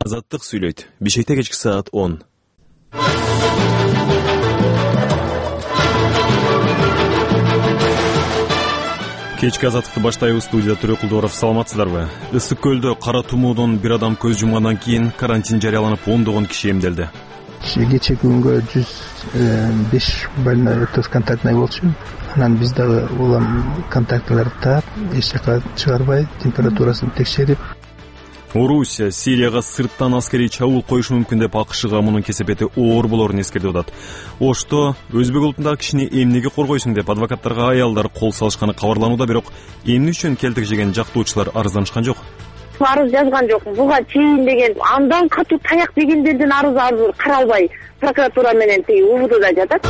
Азаттык сүйлөйт. Бишкекте кечки саат 10. Кечки азаттыкты баштайбыз. Студияда Төрөкулдууров. Саламатсыздарбы? Ысык көлдө кара тумоодон бир адам көз жумгандан кийин карантин жарыяланып, ондогон киши эмделди. Кечээ күнгө 105 больной контактный болчу. Анан биз дагы улам контактыларды таап, эч жака чыгарбай, температурасын текшерип. Орусия Сирияга сырттан аскерий чабуул коюшу мүмкүн деп АКШга мунун кесепети оор болорун эскертип атат. Ошто өзбек улутундагы кишини эмнеге коргойсуң деп адвокаттарга аялдар кол салышканы кабарланууда, бирок эмне үчүн келтек жеген жактоочулар арызданышкан жок. Арыз жазган жокмун. Буга чейин деген андан катуу таяк дегендердин арызы каралбай прокуратура менен тиги УВДда жатат.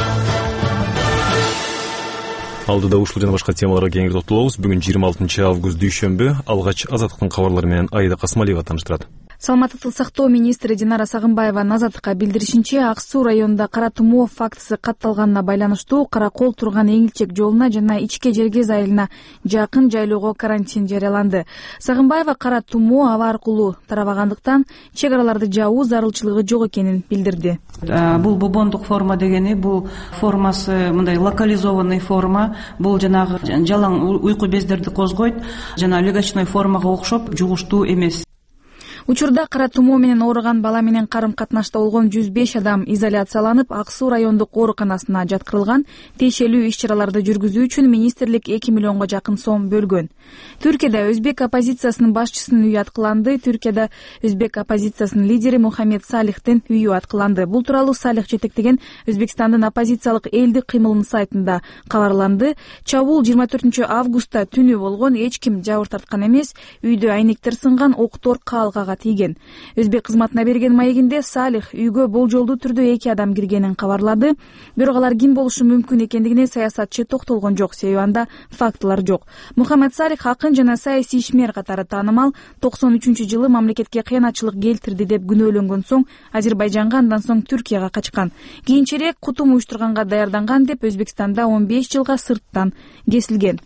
Алдыда ушул жана башка темаларга кеңири токтолобуз. Бүгүн 26 август дүйшөмбү. Алгач Азаттыктын кабарлары менен Айда Касмалиева тааныштырат. Саламаттыкты сактоо министри Динара Сагынбаеванын Азаттыкка билдиришинче, Ак Суу районунда кара тумоо фактысы катталганына байланыштуу Каракол турган Эңилчек жолуна жана Ичке Жергез айылына жакын жайлоого карантин жарыяланды. Сагынбаева кара тумоо аба аркылуу тарабагандыктан чек араларды жабуу зарылчылыгы жок экенин билдирди. Бул бубондук форма дегени, бул формасы мындай локализованный форма, бул жанагы жалаң уйку бездерди козгойт, жана легочной формага окшоп жугуштуу эмес. Учурда кара тумоо менен ооруган бала менен карым катнашта болгон 105 адам изоляцияланып, Ак Суу райондук ооруканасына жаткырылган. Тиешелүү иш-чараларды жүргүзүү үчүн министрлик 2 миллионго жакын сом бөлгөн. Түркияда өзбек оппозициясынын башчысынын үйү аткыланды. Түркияда өзбек оппозициясынын лидери Мухаммед Салихтин үйү аткыланды. Бул тууралуу Салих жетектеген Өзбекстандын оппозициялык элдик кыймылынын сайтында кабарланды. Чабуул 24 августта түнү болгон, эч ким жабыр тарткан эмес. Үйдө айнектер сынган, октор каалгага тийген. Өзбек кызматына берген маегинде Салих үйгө болжолдуу түрдө 2 адам киргенин кабарлады. Бирок алар ким болушу мүмкүн экендигине саясатчы токтолгон жок, себеби анда фактылар жок. Мухаммед Салих акын жана саясий ишмер катары таанымал. 93-жылы мамлекетке кыянатчылык келтирди деп күнөөлөнгөн соң Азербайжанга, андан соң Түркияга качкан. Кийинчерээк кутум уюштурганга даярданган деп Өзбекстанда 15 жылга сырттан кесилген.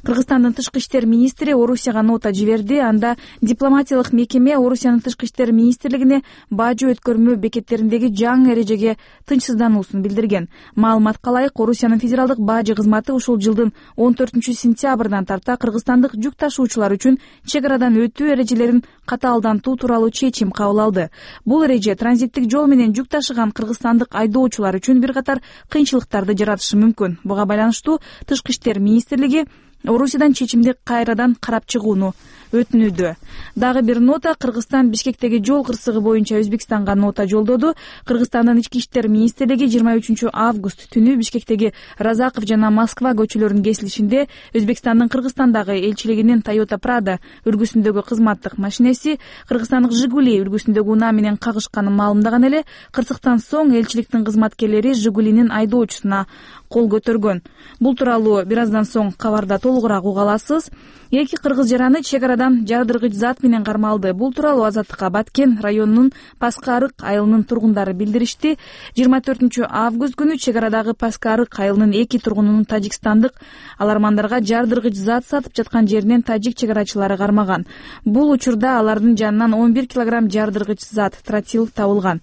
Кыргызстандын тышкы иштер министри Орусияга нота жиберди. Анда дипломатиялык мекеме Орусиянын тышкы иштер министрлигине бажы өткөрмө бекеттериндеги жаңы эрежеге тынчсыздануусун билдирген. Маалыматка ылайык, Орусиянын федералдык бажы кызматы ушул жылдын 14 сентябрдан тарта кыргызстандык жүк ташуучулар үчүн чек арадан өтүү эрежелерин катаалдантуу тууралуу чечим кабыл алды. Бул эреже транзиттик жол менен жүк ташыган кыргызстандык айдоочулар үчүн бир катар кыйынчылыктарды жаратышы мүмкүн. Буга байланыштуу тышкы иштер министрлиги Орусиядан чечимди кайрадан карап чыгууну өтүнүүдө. Дагы бир нота: Кыргызстан Бишкектеги жол кырсыгы боюнча Өзбекстанга нота жолдоду. Кыргызстандын ички иштер министрлиги 23 август түнү Бишкектеги Разаков жана Москва көчөлөрүнүн кесилишинде Өзбекстандын Кыргызстандагы элчилигинин Toyota Prado үлгүсүндөгү кызматтык машинеси Кыргызстандык Жигули үлгүсүндөгү унаа менен кагышканын маалымдаган эле. Кырсыктан соң элчиликтин кызматкерлери Жигулинин айдоочусуна кол көтөргөн. Бул тууралуу бир аздан соң кабарда толугураак уга аласыз. 2 кыргыз жараны чек арадан жардыргыч зат менен кармалды. Бул тууралуу Азаттыкка Баткен районунун Паскарык айылынын тургундары билдиришти. 24 август күнү чек арадагы Паскарык айылынын 2 тургунунун тажикстандык алармандарга жардыргыч зат сатып жаткан жеринен тажик чек арачылары кармаган. Бул учурда алардын жанынан 11 килограмм жардыргыч зат тротил табылган.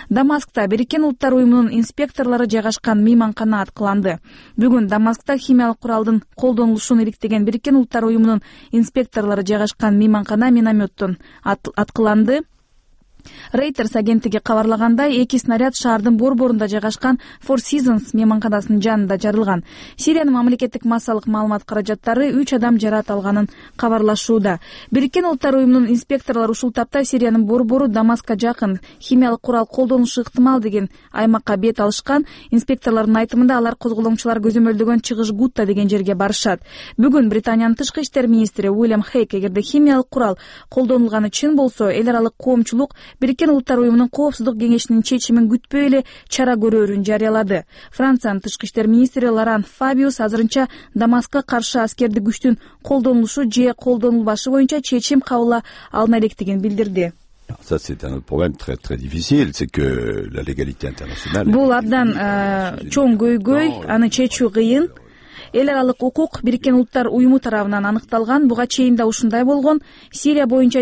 Дамаскта Бириккен Улуттар уюмунун инспекторлору жайгашкан мейманкана аткыланды. Бүгүн Дамаскта химиялык куралдын колдонулушун иликтеген Бириккен Улуттар уюмунун инспекторлору жайгашкан мейманкана минометтон аткыланды. Reuters агенттиги кабарлагандай, 2 снаряд шаардын борборунда жайгашкан Four Seasons мейманканасынын жанында жарылган. Сириянын мамлекеттик массалык маалымат каражаттары 3 адам жаракат алганын кабарлашууда. Бириккен Улуттар уюмунун инспекторлору ушул тапта Сириянын борбору Дамаска жакын химиялык курал колдонушу ыктымал деген аймакка бет алышкан. Инспекторлордун айтымында алар козголоңчулар көзөмөлдөгөн чыгыш Гутта деген жерге барышат. Бүгүн Британиянын тышкы иштер министри Уильям Хейк, эгерде химиялык курал колдонулганы чын болсо, эл аралык коомчулук Бириккен Улуттар уюмунун коопсуздук кеңешинин чечимин күтпөй эле чара көрөрүн жарыялады. Франциянын тышкы иштер министри Лоран Фабиус азырынча Дамаскка каршы аскердик күчтүн колдонулушу же колдонулбашы боюнча чечим кабыл алына электигин билдирди. Ça, c'est un autre problème très très difficile, c'est que la légalité internationale. Бул абдан чоң көйгөй, аны чечүү кыйын. Эл аралык укук Бириккен Улуттар уюму тарабынан аныкталган. Буга чейин да ушундай болгон. Сирия боюнча